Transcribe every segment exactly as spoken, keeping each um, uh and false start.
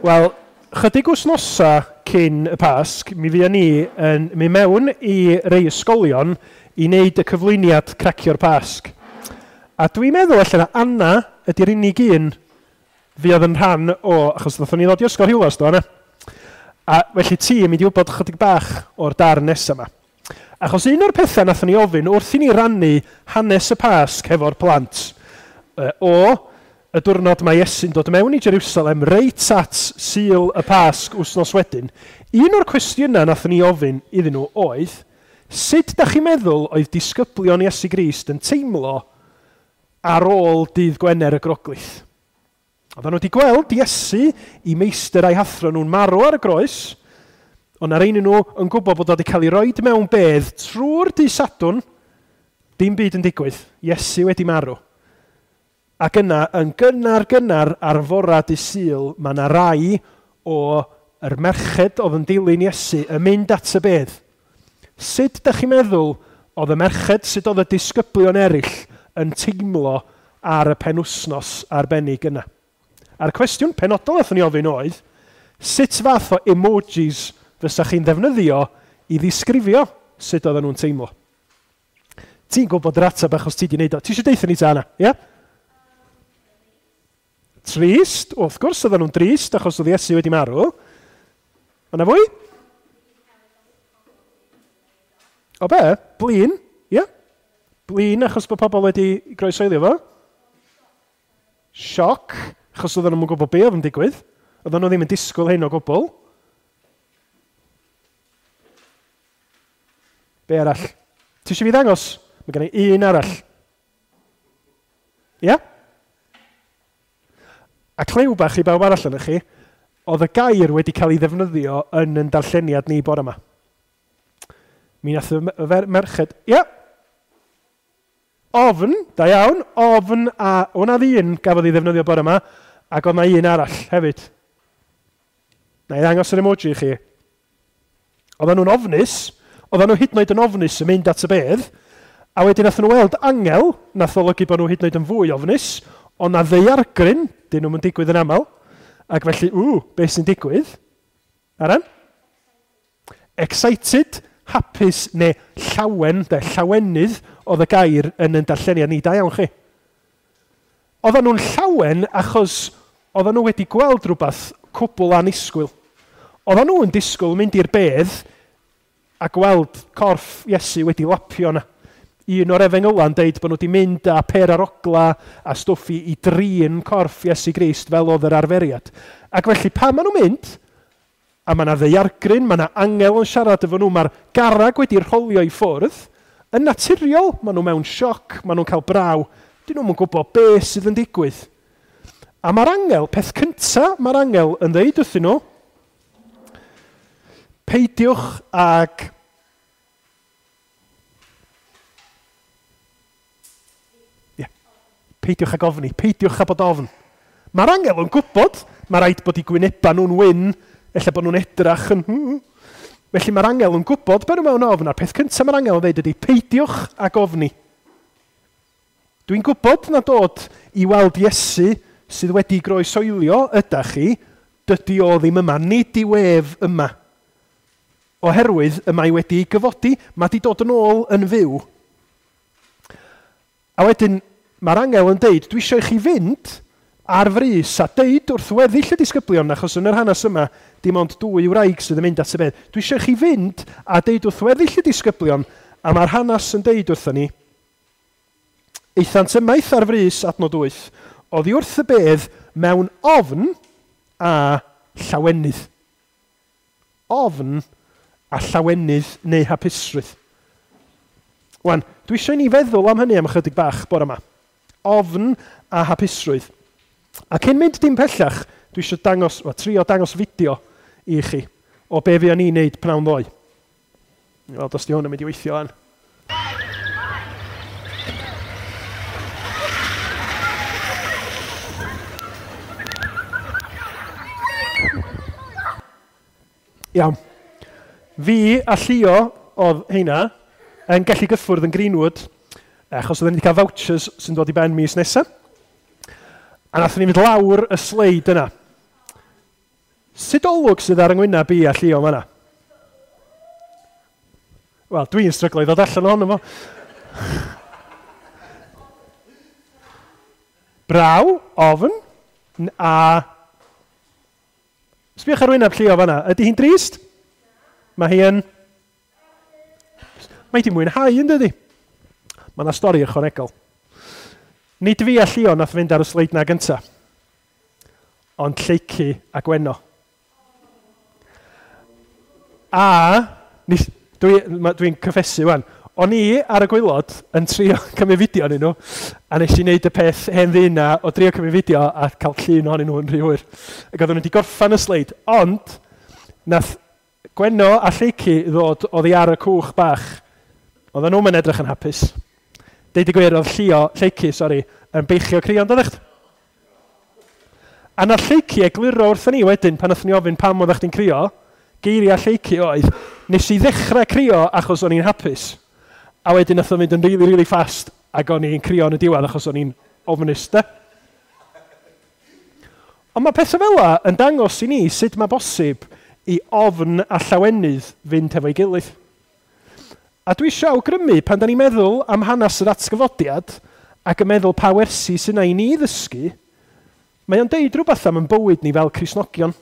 Wel, chydig wythnosa cyn y Pasg, mi fuon ni yn mynd mewn i rei ysgolion i wneud y cyflwyniad Cracio'r Pasg. A dwi'n meddwl allan Anna ydy'r unig un fuodd yn rhan o, achos ddothon ni ddod i Ysgol Rhiwlas, do, Anna? A felly ti yn mynd i wybod chydig bach o'r darn nesaf yma. Achos un o'r pethau nathon ni ofyn wrth i ni rannu hanes y Pasg hefo'r plant, o y diwrnod mae Iesu'n dod mewn i Jerusalem reit at Sul y Pasg wythnos wedyn, un o'r cwestiynau nathon ni ofyn iddyn nhw oedd, sut da chi'n meddwl oedd disgyblion Iesu Grist yn teimlo ar ôl dydd Gwener y Groglith? Oedden nhw wedi gweld Iesu i meistr a'i hathro nhw'n marw ar y groes, ond ar ein nhw yn gwybod bod o wedi cael ei roed mewn bedd trwy'r dydd Sadwrn, dim byd yn digwydd, Iesu wedi marw. Ac yna, yn gynnar gynnar ar fora dydd Sul, mae yna rai o'r merched oedd yn dilyn Iesu yn mynd at y bedd. Sut da chi'n meddwl oedd y merched, sut oedd y disgyblion eraill yn teimlo ar y penwsnos arbennig yna? A'r cwestiwn penodol nathon ni ofyn oedd, sut fath o emojis fysa chi'n ddefnyddio i ddisgrifio sut oedden nhw'n teimlo? Ti'n gwybod yr ateb achos ti di wneud o. Ti eisiau deutha ni ta, Anna? Ie? Yeah? Trist, wrth gwrs oedden nhw'n drist achos oedd Iesu wedi marw. Yna fwy? O be? Blin, ie? Yeah? Blin achos bod pobl wedi groesoelio fo. Sioc, achos oedden nhw'n gwybod be oedd yn digwydd. Oedden nhw ddim yn disgwyl hyn o gwbl. Be arall? Ti eisiau fi ddangos? Mae gen i un arall. Ie? Yeah? A clyw bach i bawb arall yna chi, oedd y gair wedi cael ei ddefnyddio yn yn darlleniad ni bore yma. Mi nath y merched, ie, yeah. Ofn, da iawn, ofn, a o'na ddyn gafodd ei ddefnyddio bore yma, ac oedd na un arall hefyd. Na i ddangos yr emoji i chi. Oedden nhw'n ofnus, oedden nhw hyd yn oed yn ofnus yn mynd at y bedd, a wedyn nath nhw weld angel, nath olygu bod nhw hyd yn oed yn fwy ofnus, ond na ddaeargryn, dyn nhw'n digwydd yn aml, ac felly, ww, beth sy'n digwydd? Aran? Excited, hapus neu llawen, de, llawenydd oedd y gair yn yn darlleniad ni, da iawn chi. Oedden nhw'n llawen achos oedden nhw wedi gweld rhywbeth cwbl annisgwyl. Oedden nhw'n disgwyl mynd i'r bedd a gweld corff Iesu wedi lapio yna. Un o'r efengyla'n deud bod nhw wedi mynd â per arogla a stwff i, i drin corff Iesu Grist fel oedd yr arferiad. Ac felly pan maen nhw'n mynd, a mae yna ddaeargryn, mae yna angel yn siarad efo nhw, mae'r garreg wedi rholio i ffwrdd, yn naturiol, maen nhw mewn sioc, maen nhw'n cael braw, dyn nhw'n gwybod beth sydd yn digwydd. A mae'r angel, peth cyntaf mae'r angel yn dweud wrthyn nhw, peidiwch ag peidiwch ag ofni, peidiwch â bod ofn. Mae'r angel yn gwybod, mae rhaid bod eu gwyneba nhw'n wyn, ella bod nhw'n edrach yn... Felly mae'r angel yn gwybod bod nhw mewn ofn, a'r peth cyntaf mae'r angel yn dweud ydy, peidiwch ag ofni. Dwi'n gwybod na dod i weld Iesu sydd wedi groesoelio ydach chi, dydy o ddim yma, nid yw ef yma. Oherwydd y mae wedi gyfodi, mae di dod yn ôl yn fyw. A wedyn, mae'r angel yn deud, dwi eisiau i chi fynd ar frys a deud wrth weddill y disgyblion, achos yn yr hanes yma, dim ond dwy wraig sydd yn mynd at y bedd. Dwi eisiau i chi fynd a deud wrth weddill y disgyblion, a mae'r hanes yn deud wrthon ni, aethant ymaith ar frys, adnod wyth, oddi wrth y bedd mewn ofn a llawenydd. Ofn a llawenydd neu hapusrwydd. Wan, dwi eisiau i ni feddwl am hynny am ychydig bach bore yma. Ofn a hapusrwydd. A cyn mynd dim pellach, dwi eisiau dangos, well, trio dangos fideo i chi o be fuon ni'n neud pnawn ddoe. Wel, os di hwn yn mynd i weithio an. Iawn. Fi a Llio oedd heina yn gallu gyffwrdd yn Greenwood, achos oedden ni wedi cael vouchers sy'n dod i ben mis nesaf. A nathon ni fynd lawr y sleid yna. Sut olwg sydd ar yng ngwyneb i a Llio fanna? Wel, dwi'n stryglo i ddod allan ohono fo. Braw, ofn, a... Sbiwch ar wyneb Llio fanna. Ydy hi'n drist? Mae hi yn... Mae hi mwynhau, yn dydy? Mae yna stori ychwanegol. Nid fi a Llio nath fynd ar y sleid na gynta, ond Lleicu a Gwenno. A, dwi'n dwi cyffesu wan, o'n i ar y gwaelod yn trio cymryd fideo ohonyn nhw, a nes i wneud y peth hen ddyn na o drio cymryd fideo a cael llun ohonyn nhw yn rhy hwyr. Ac oedden nhw wedi gorffan y sleid, ond nath Gwenno a Lleicu ddod oddi ar y cwch bach. Oedden nhw'n edrych yn hapus. Deud y gwir, oedd Llio, Lleicu, sori, yn beichio crio, ond oeddech? A nath Lleicu egluro wrthyn ni wedyn, pan nath ni ofyn pam oeddech chdi'n crio, geiriau Lleicu oedd, nes i ddechrau crio achos o'n i'n hapus. A wedyn nath o fynd yn really, really fast ac o'n i'n crio yn y diwedd achos o'n i'n ofnus, de. Ond mae pethau fel 'na yn dangos i ni sut mae bosib i ofn a llawenydd fynd hefo'i gilydd. A dwi eisiau awgrymu pan da ni'n meddwl am hanes yr atgyfodiad ac yn meddwl pa wersi sy'n na i ni ddysgu, mae o'n deud rhywbeth am yn bywyd ni fel Cristnogion.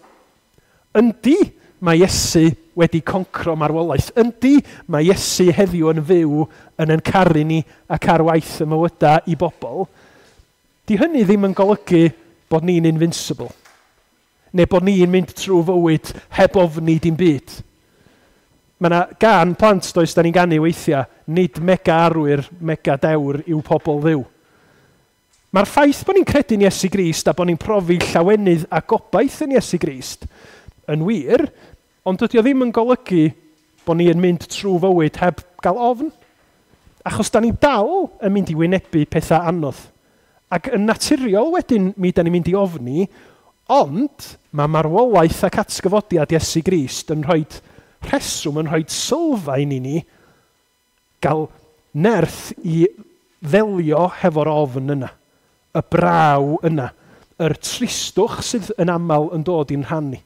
Yndi, mae Iesu wedi concro marwolaeth. Yndi, mae Iesu heddiw yn fyw yn yn caru ni ac ar waith y mywydau i bobl. Di hynny ddim yn golygu bod ni'n invincible. Neu bod ni'n mynd trwy fywyd heb ofni dim byd. Mae yna gan plant does da ni'n ganu weithiau, nid mega arwyr, mega dewr yw pobl Dduw. Mae'r ffaith bod ni'n credu'n Iesu Grist a bod ni'n profi llawenydd a gobaith yn Iesu Grist yn wir, ond dydy o ddim yn golygu bod ni'n mynd trwy fywyd heb gael ofn. Achos da ni dal yn mynd i wynebu pethau anodd. Ac yn naturiol wedyn mi da ni'n mynd i ofni, ond mae marwolaeth ac atgyfodiad Iesu Grist yn rhoi rheswm, yn rhoi sylfaen i ni gael nerth i ddelio hefo'r ofn yna, y braw yna, yr tristwch sydd yn aml yn dod i'n rhan ni.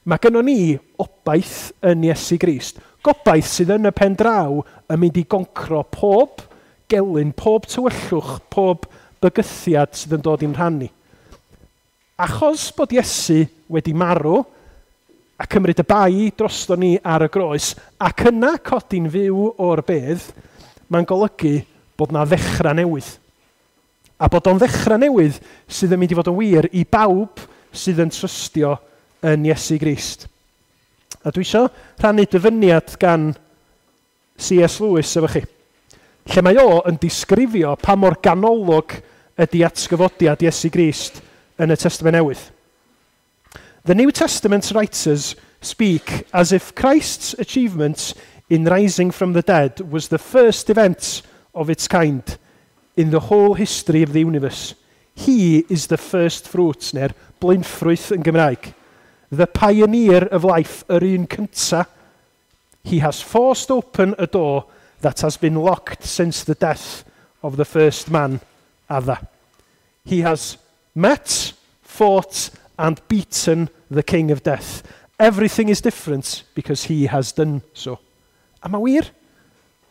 Mae gynnon ni obaith yn Iesu Grist. Gobaith sydd yn y pen draw yn mynd i goncro pob gelyn, pob tywyllwch, pob bygythiad sydd yn dod i'n rhan ni. Achos bod Iesu wedi marw a cymryd y bai drosto ni ar y groes ac yna codi'n fyw o'r bedd, mae'n golygu bod na ddechrau newydd. A bod o'n ddechrau newydd sydd yn mynd i fod yn wir i bawb sydd yn trystio yn Iesu Grist. A dwi eisiau rhannu dyfyniad gan C S Lewis efo chi, lle mae o yn disgrifio pa mor ganolog ydy atgyfodiad Iesu Grist yn y Testament Newydd. The New Testament writers speak as if Christ's achievement in rising from the dead was the first event of its kind in the whole history of the universe. He is the first fruits, neu'r blaenffrwyth yn Gymraeg. The pioneer of life, yr un cynta. He has forced open a door that has been locked since the death of the first man, Adda. He has met, fought, and beaten the king of death. Everything is different because he has done so. A mae wir.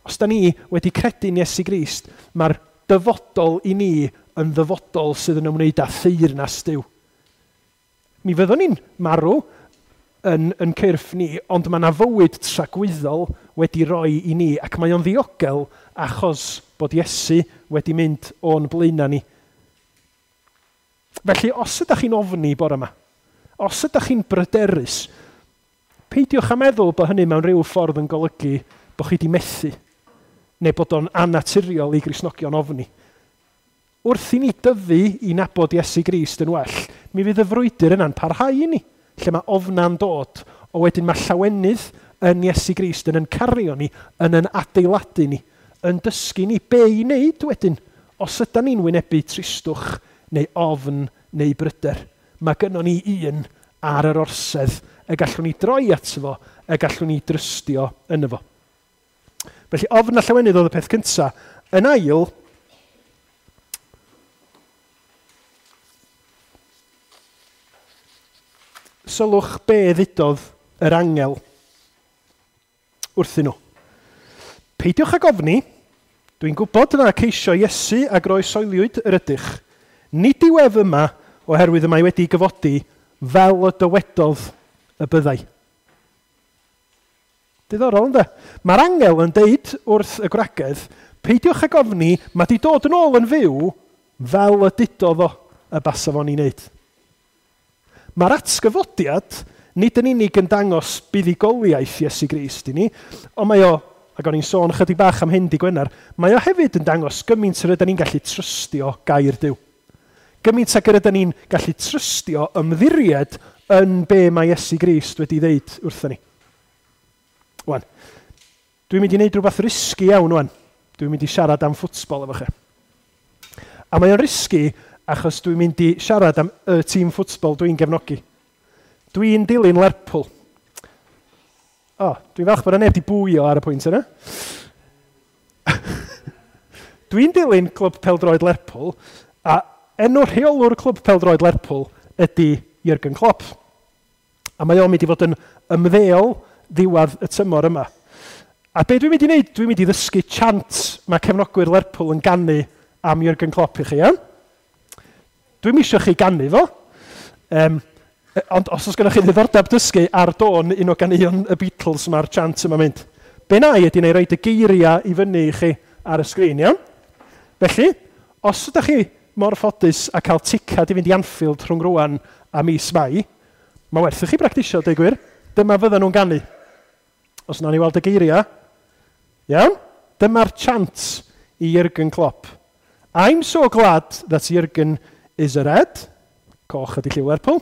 Os da ni wedi credu'n Iesu Grist, mae'r dyfodol i ni yn ddyfodol sydd yn ymwneud â theyrnas Duw. Mi fyddwn ni'n marw yn, yn cyrff ni, ond mae yna fywyd tragwyddol wedi roi i ni, ac mae o'n ddiogel achos bod Iesu wedi mynd o'n blaenau ni. Felly, os ydych chi'n ofni bore yma, os ydych chi'n bryderus, peidiwch â meddwl bod hynny mewn rhyw ffordd yn golygu bod chi wedi methu, neu bod o'n annaturiol i Gristnogion ofni. Wrth i ni dyfu i nabod Iesu Grist yn well, mi fydd y frwydr yna'n parhau i ni, lle mae ofna'n dod, o wedyn mae llawenydd yn Iesu Grist yn yn cario ni, yn yn adeiladu ni, yn dysgu ni be i wneud wedyn, os ydyn ni'n wynebu tristwch neu ofn neu bryder. Mae gynnon ni un ar yr orsedd y gallwn ni droi ato fo, y gallwn ni drystio yno fo. Felly ofn a llawenydd oedd y peth cyntaf. Yn ail, Sylwch be ddudodd yr angel wrthyn nhw. Peidiwch ag ofni, dwi'n gwybod na ceisio Iesu a groesoeliwyd yr ydych. Nid yw ef yma oherwydd y mae wedi gyfodi fel y dywedodd y byddai. Diddorol, ynddo? Mae'r angel yn deud wrth y gwragedd, peidiwch ag ofni, mae di dod yn ôl yn fyw fel y dudodd o y basa fo'n ei wneud. Mae'r atgyfodiad nid yn unig yn dangos buddugoliaeth Iesu Grist i ni, ond mae o, ac o'n i'n sôn chydig bach am hyn di Gwener, mae o hefyd yn dangos gymaint yr ydyn ni'n gallu trystio gair Duw. Gymaint ag yr ydyn ni'n gallu trystio ymddiried yn be mae Iesu Grist wedi ddeud wrthyn ni. Wan, dwi'n mynd i wneud rhywbeth risky iawn wan. Dwi'n mynd i siarad am ffwtsbol efo chi. A mae o'n risky achos dwi'n mynd i siarad am y tîm ffwtsbol dwi'n gefnogi. Dwi'n dilyn Lerpwl. O, oh, dwi'n falch bod yna neb di bwio ar y pwynt yna. Dwi'n dilyn Clwb Pêl-droed Lerpwl, a enw rheolwr Clwb Pêl-droed Lerpwl ydy Jürgen Klopp. A mae o'n mynd i fod yn ymddeol ddiwedd y tymor yma. A be dwi'n mynd i wneud? Dwi'n mynd i ddysgu chant mae cefnogwyr Lerpwl yn ganu am Jürgen Klopp i chi, iawn? Dwi'n eisiau chi ganu fo. Um, ond os oes gennych chi ddiddordeb dysgu ar dôn un o ganeuon y Beatles mae'r chant yma'n mynd. Be na i ydy neu roed y geiriau i fyny i chi ar y sgrin, iawn? Felly, os ydych chi mor ffodus a cael ticad i fynd i Anfield rhwng rwan a mis Mai, mae werth i chi bractisio, deud gwir. Dyma fyddan nhw'n ganu. Os nawn ni weld y geiriau, iawn? Dyma'r chant i Jürgen Klopp. I'm so glad that Jürgen is a red. Coch ydy lliw Lerpwl.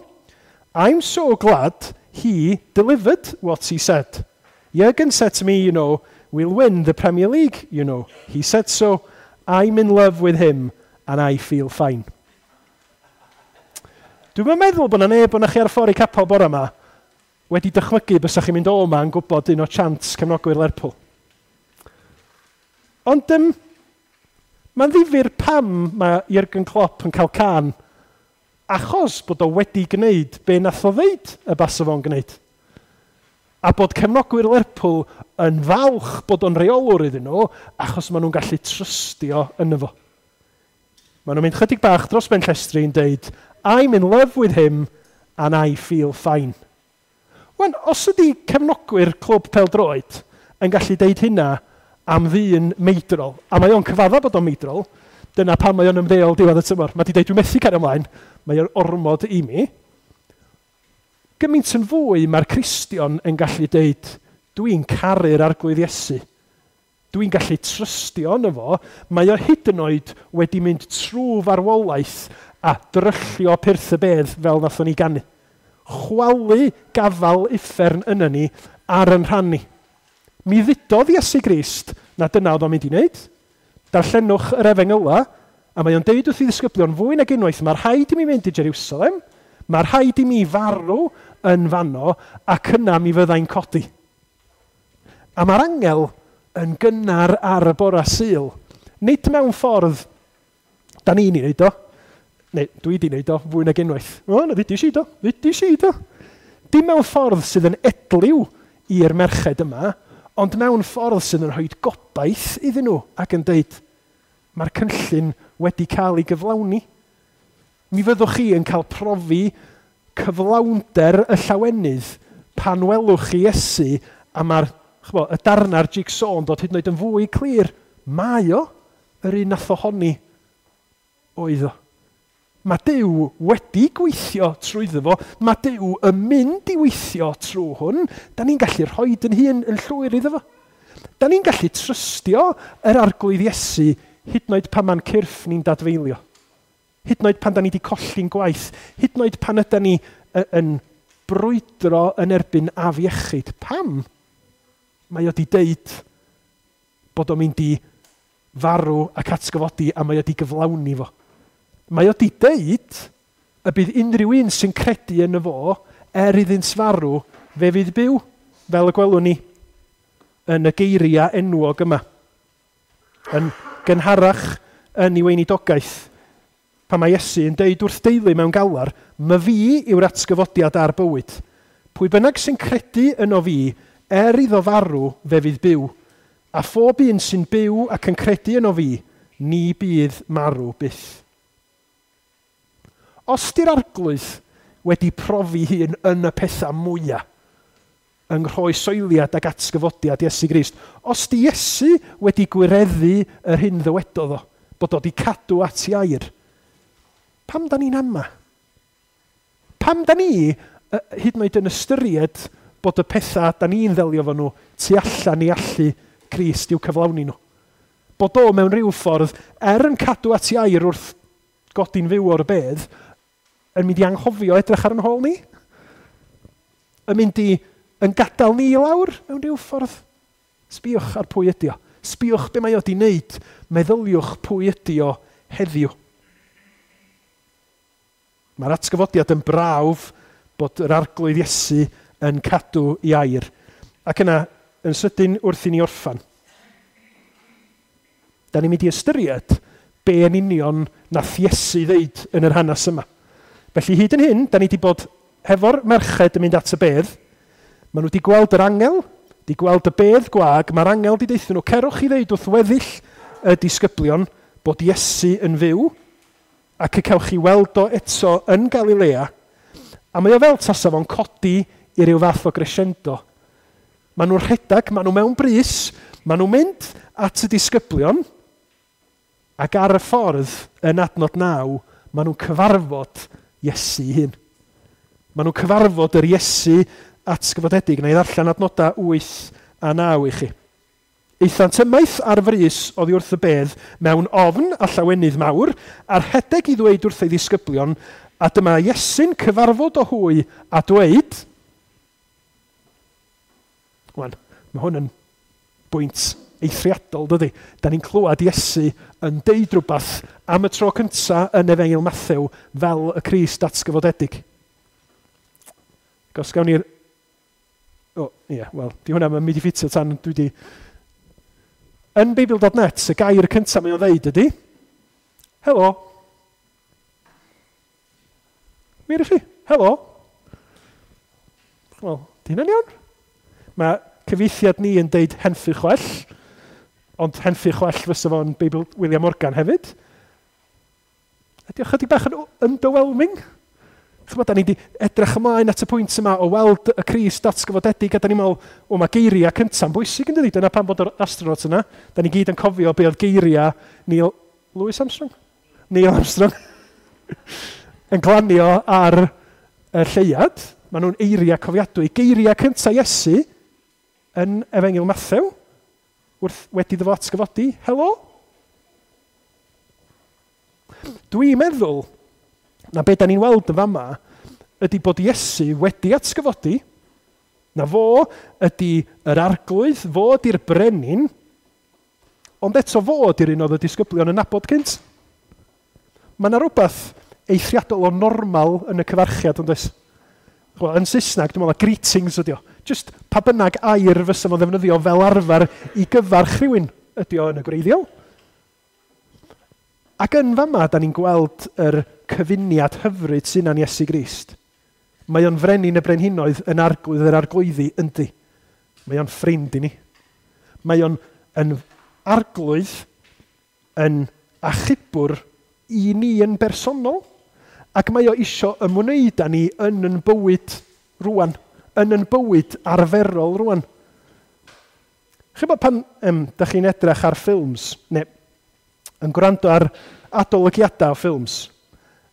I'm so glad he delivered what he said. Jürgen said to me, you know, we'll win the Premier League, you know. He said so. I'm in love with him and I feel fine. Dwi'n meddwl bod yna neb o'na chi ar y ffordd i capel bore yma wedi dychmygu bysa chi'n mynd o yma yn gwybod un o chants cefnogwyr Lerpwl. Ond um, mae'n ddifyr pam mae Jürgen Klopp yn cael can achos bod o wedi gwneud be nath o ddeud y basa fo'n gwneud. A bod cefnogwyr Lerpwl yn falch bod o'n reolwr iddyn nhw achos maen nhw'n gallu trystio yno fo. Maen nhw'n mynd chydig bach dros ben llestri yn deud, I'm in love with him and I feel fine. Wan, os ydy cefnogwyr clwb pêl-droed yn gallu deud hynna am ddyn meidrol, a mae o'n cyfadda bod o'n meidrol, dyna pam mae o'n ymddeol diwedd y tymor. Mae di deud, dwi'n methu cario ymlaen, mae o'n ormod i mi. Gymaint yn fwy mae'r Cristion yn gallu deud, dwi'n caru'r Arglwydd Iesu. Dwi'n gallu trystio yno fo. Mae o hyd yn oed wedi mynd trwy farwolaeth a dryllio pyrth y bedd fel nathon ni ganu. Chwalu gafal uffern yna ni ar yn rhan ni. Mi ddudodd Iesu Grist na dyna oedd o'n mynd i wneud. Darllenwch yr Efengyla, a mae o'n deud wrth i ddisgyblion fwy nag unwaith, mae rhaid i mi fynd i Jerusalem, mae rhaid i mi farw yn fanno, ac yna mi fyddai'n codi. A mae'r angel yn gynnar ar y bora Sul. Nid mewn ffordd, da ni'n ei wneud o, neu dwi di wneud o fwy nag unwaith. O, na ddudis i do, ddudis i do. Dim mewn ffordd sydd yn edliw i'r merched yma, ond mewn ffordd sydd yn rhoi gobaith iddyn nhw ac yn deud, mae'r cynllun wedi cael ei gyflawni. Mi fyddwch chi yn cael profi cyflawnder y llawenydd pan welwch chi Iesu a mae'r chbo, y darna'r jigsaw yn dod hyd yn oed yn fwy clir. Mae o yr un nath ohoni oedd o. Mae Duw wedi gweithio trwyddo fo. Mae Duw yn mynd i weithio trwy hwn. Da ni'n gallu rhoi yn hun yn llwyr iddo fo. Da ni'n gallu trystio yr Arglwydd Iesu hyd yn oed pan mae'n cyrff ni'n dadfeilio. Hyd yn oed pan da ni wedi colli'n gwaith. Hyd yn oed pan yda ni yn brwydro yn erbyn afiechyd. Pam? Mae o wedi deud bod o'n mynd i farw ac atgyfodi a mae o wedi gyflawni fo. Mae o wedi deud y bydd unrhyw un sy'n credu yn y fo, er iddynt farw, fe fydd byw, fel y gwelwn ni yn y geiriau enwog yma. Yn gynharach yn ei weinidogaeth, Pan mae Iesu yn deud wrth deulu mewn galar, "My fi yw'r atgyfodiad a'r bywyd. Pwy bynnag sy'n credu yno fi, er iddo farw, fe fydd byw. A phob un sy'n byw ac yn credu yno fi, ni bydd marw byth." Os di'r Arglwydd wedi profi hun yn y pethau mwyaf, yng nghroesoeliad ac atgyfodiad Iesu Grist, os di Iesu wedi gwireddu yr hyn ddywedodd o, bod o wedi cadw at ei air, pam da ni'n ama? Pam da ni, hyd yn oed yn ystyried bod y pethau da ni'n ddelio fo nhw tu allan i allu Crist i'w cyflawni nhw? Bod o mewn rhyw ffordd, er yn cadw at ei air wrth godi'n fyw o'r bedd, yn mynd i anghofio edrych ar yn hôl ni? Yn mynd i yn gadael ni i lawr mewn rhyw ffordd? Sbïwch ar pwy ydi o. Sbïwch be mae o di wneud. Meddyliwch pwy ydi o heddiw. Mae'r atgyfodiad yn brawf bod yr Arglwydd Iesu yn cadw ei air. Ac yna, yn sydyn wrth i ni orffan, da ni'n mynd i ystyried be yn union nath Iesu ddeud yn yr hanes yma. Felly hyd yn hyn, da ni wedi bod hefo'r merched yn mynd at y bedd. Maen nhw wedi gweld yr angel, wedi gweld y bedd gwag, mae'r angel wedi deutha nhw, cerwch i ddeud wrth weddill y disgyblion bod Iesu yn fyw, ac y cewch chi weld o eto yn Galilea, a mae o fel tasa fo'n codi i ryw fath o crescendo. Maen nhw'n rhedeg, maen nhw mewn brys, maen nhw'n mynd at y disgyblion, ac ar y ffordd yn adnod naw, maen nhw'n cyfarfod Iesu hun. Maen nhw'n cyfarfod yr Iesu atgyfodedig. Na i ddarllen adnodau wyth a naw i chi. Aethant ymaith ar frys oddi wrth y bedd mewn ofn a llawenydd mawr, a'r rhedeg i ddweud wrth ei ddisgyblion, a dyma Iesu'n cyfarfod o hwy a dweud... Wan, mae hwn yn bwynt eithriadol, dydy. Da ni'n clywed Iesu yn deud rhywbeth am y tro cyntaf yn Efengyl Mathew fel y Crist atgyfodedig. Os gawn ni'r... O, ie, yeah, wel, di hwnna yn mynd i ffitio tan dwi di... Yn Beibl dot net, y gair cyntaf mae o'n ddeud ydy, helo. Wir i chi, helo. Wel, di hynna'n iawn? Mae cyfieithiad ni yn deud henffych chwell, ond henffych chwell fysa fo'n Beibl William Morgan hefyd. Ydy o chydig bach yn underwhelming? Chymod, da ni wedi edrych ymlaen at y pwynt yma o weld y Crist atgyfodedig, a da ni'n meddwl, o, mae geiriau cynta'n bwysig yn dydi? Dyna pam bod yr astronaut yna. Da ni gyd yn cofio be oedd geiriau Neil Louis Armstrong? Neil Armstrong yn glanio ar y lleuad. Maen nhw'n eiriau cofiadwy. Geiriau cyntaf Iesu yn Efengyl Mathew, wrth wedi iddo fo atgyfodi, helo. Dwi'n meddwl na be da ni'n weld yn fama ydy bod Iesu wedi atgyfodi, na fo ydy yr arglwydd, fo ydy'r brenin, ond eto fo ydy'r un oedd y disgyblion yn nabod cynt. Mae yna rhywbeth eithriadol o normal yn y cyfarchiad, ond oes? Wel, yn Saesneg, dwi'n meddwl, greetings ydy o. Just pa bynnag air fysa fo'n ddefnyddio fel arfer i gyfarch rhywun ydy o yn y gwreiddiol. Ac yn fama, da ni'n gweld yr cyfuniad hyfryd sy'n yn Iesu Grist. Mae o'n frenin y brenhinoedd yn arglwydd yr arglwyddi yndi. Mae o'n ffrind i ni. Mae o'n yn arglwydd yn achubwr i ni yn bersonol. Ac mae o isio ymwneud â ni yn yn bywyd rwan, yn yn bywyd arferol rwan. Chybod pan um, da chi'n edrych ar ffilms, neu yn gwrando ar adolygiadau o ffilms,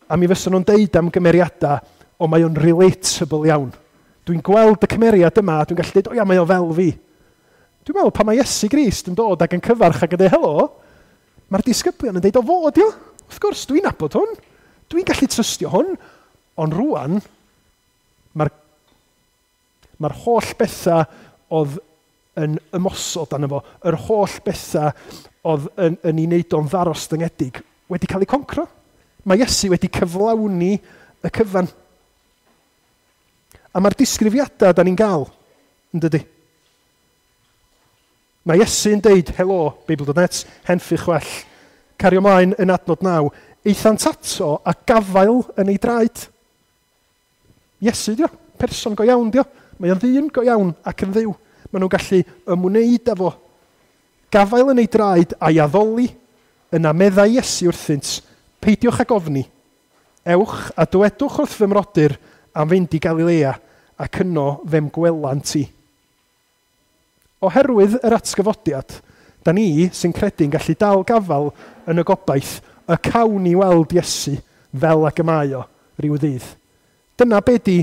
a mi fysa nhw'n deud am gymeriadau, o mae o'n relatable iawn. Dwi'n gweld y cymeriad yma, a dwi'n gallu deud, o ia, mae o fel fi. Dwi'n meddwl, pan mae Iesu Grist yn dod ac yn cyfarch ac yn deud, helo, mae'r disgyblion yn deud, o fod, io. Wrth gwrs, dwi'n nabod hwn. Dwi'n gallu trystio hwn. Ond rwan, mae'r mae'r holl bethau oedd yn ymosod arno fo, yr holl bethau oedd yn, yn ei wneud o'n ddarostyngedig, wedi cael ei concro. Mae Iesu wedi cyflawni y cyfan. A mae'r disgrifiadau da ni'n gael, yn dydy? Mae Iesu'n deud, helo, Beibl dot net, henffych chwell, cario ymlaen yn adnod naw, Aethant ato a gafael yn ei draed. Iesu dio, person go iawn dio. Mae o'n ddyn go iawn ac yn ddiw. Maen nhw'n gallu ymwneud â fo. Gafael yn ei draed a'i addoli, yna meddai Iesu wrthynt, peidiwch ag ofni. Ewch a dywedwch wrth fy mrodyr am fynd i Galilea ac yno fe'm gwelant i. Oherwydd yr atgyfodiad, da ni sy'n credu'n gallu dal gafal yn y gobaith y cawn ni weld Iesu fel ag y mae o ryw ddydd. Dyna be di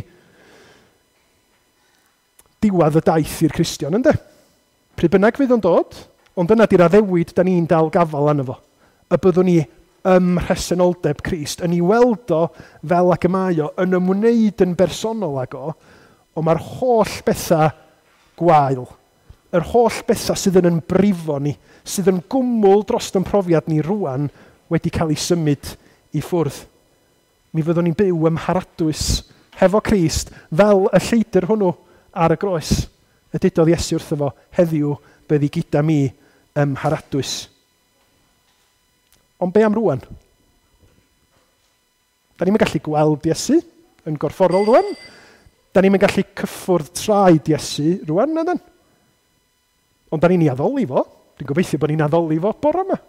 diwedd y daith i'r Cristion, ynddo? Pryd bynnag fydd o'n dod, ond dyna di'r addewid da ni'n dal gafal arno fo. Y byddwn ni ym mhresenoldeb Crist, yn ei weld o fel ag y mae o, yn ymwneud yn bersonol ag o, ond mae'r holl bethau gwael, yr holl bethau sydd yn yn brifo ni, sydd yn gwmwl dros yn profiad ni rwan, wedi cael ei symud i ffwrdd. Mi fyddwn ni'n byw ym mharadwys hefo Crist fel y lleidr hwnnw ar y groes. Y dudodd Iesu wrtho fo, heddiw byddi gyda mi ym mharadwys. Ond be am rwan? Da ni'n gallu gweld Iesu yn gorfforol rwan. Da ni'n gallu cyffwrdd traed Iesu rwan, na dan? Ond da ni'n ei addoli fo. Dwi'n gobeithio bod ni'n addoli fo bore yma.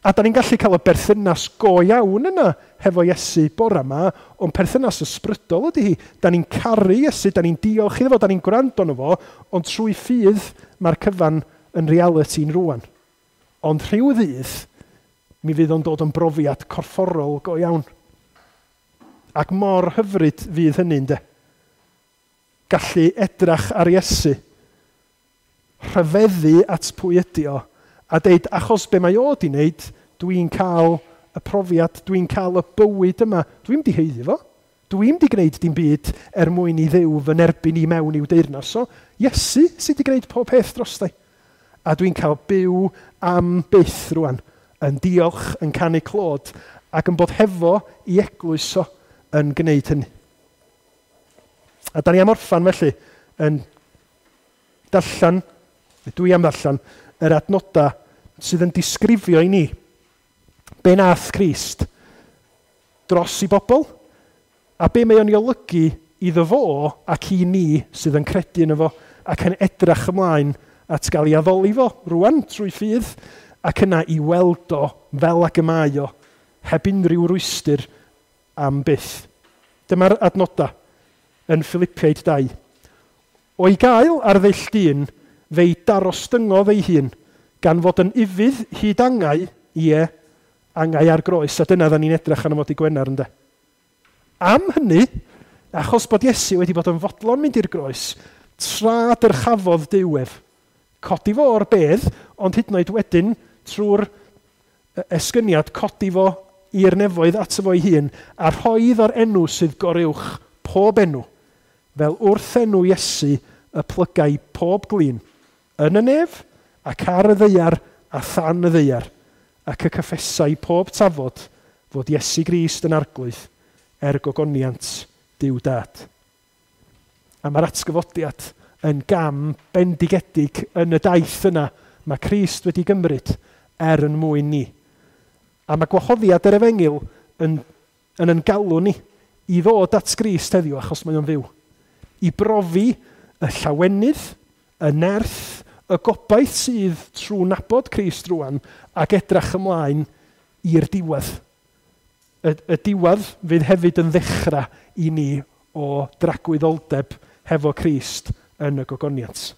A da ni'n gallu cael y berthynas go iawn yna hefo Iesu bore yma, ond perthynas ysbrydol ydy hi. Da ni'n caru Iesu, da ni'n diolch iddo fo, da ni'n gwrando arno fo, ond trwy ffydd mae'r cyfan yn realiti'n rwan. Ond rhyw ddydd, mi fydd o'n dod yn brofiad corfforol go iawn. Ac mor hyfryd fydd hynny, ynde? Gallu edrach ar Iesu, rhyfeddu at pwy ydi o, a deud, achos be mae o di wneud, dwi'n cael y profiad, dwi'n cael y bywyd yma. Dwi'n di haeddu fo. Dwi'n di gwneud dim byd er mwyn i Dduw fy nerbyn i mewn i'w deyrnas. So, Iesu sydd wedi gwneud pob peth drosta i. A dwi'n cael byw am byth rwan, yn diolch, yn canu clod, ac yn bod hefo i eglwys o yn gwneud hynny. A da ni am orffan felly yn darllen, dwi am ddarllen, yr adnodau sydd yn disgrifio i ni be nath Crist dros i bobl a be mae o'n ei olygu iddo fo ac i ni sydd yn credu yno fo ac yn edrach ymlaen at gael ei addoli fo rwan trwy ffydd ac yna i weld o fel ag y mae o heb unrhyw rwystr am byth. Dyma'r adnodau yn Philippiaid dau. O'i gael ar ddull dyn, fe'i darostyngodd ei hun, gan fod yn ufudd hyd angau, ie, angau ar groes, a dyna dda ni'n edrych arno fo dy Gwener, ynde. Am hynny, achos bod Iesu wedi bod yn fodlon mynd i'r groes, tra dyrchafodd Duw ef. Codi fo o'r bedd, ond hyd yn oed wedyn, trwy'r esgyniad, codi fo i'r nefoedd ato fo'i hun, a rhoi iddo'r enw sydd goruwch pob enw, fel wrth enw Iesu y plygai pob glin, yn y nef ac ar y ddaear a than y ddaear, ac y cyffesai pob tafod fod Iesu Grist yn arglwydd er gogoniant Duw Dad. A mae'r atgyfodiad yn gam bendigedig yn y daith yna mae Crist wedi gymryd er yn mwyn ni. A mae gwahoddiad yr efengyl yn, yn yn galw ni i ddod at Grist heddiw achos mae o'n fyw. I brofi y llawenydd, y nerth, y gobaith sydd trwy nabod Crist rwan ac edrach ymlaen i'r diwedd. Y, y diwedd fydd hefyd yn ddechrau i ni o dragwyddoldeb hefo Crist yn y gogoniant.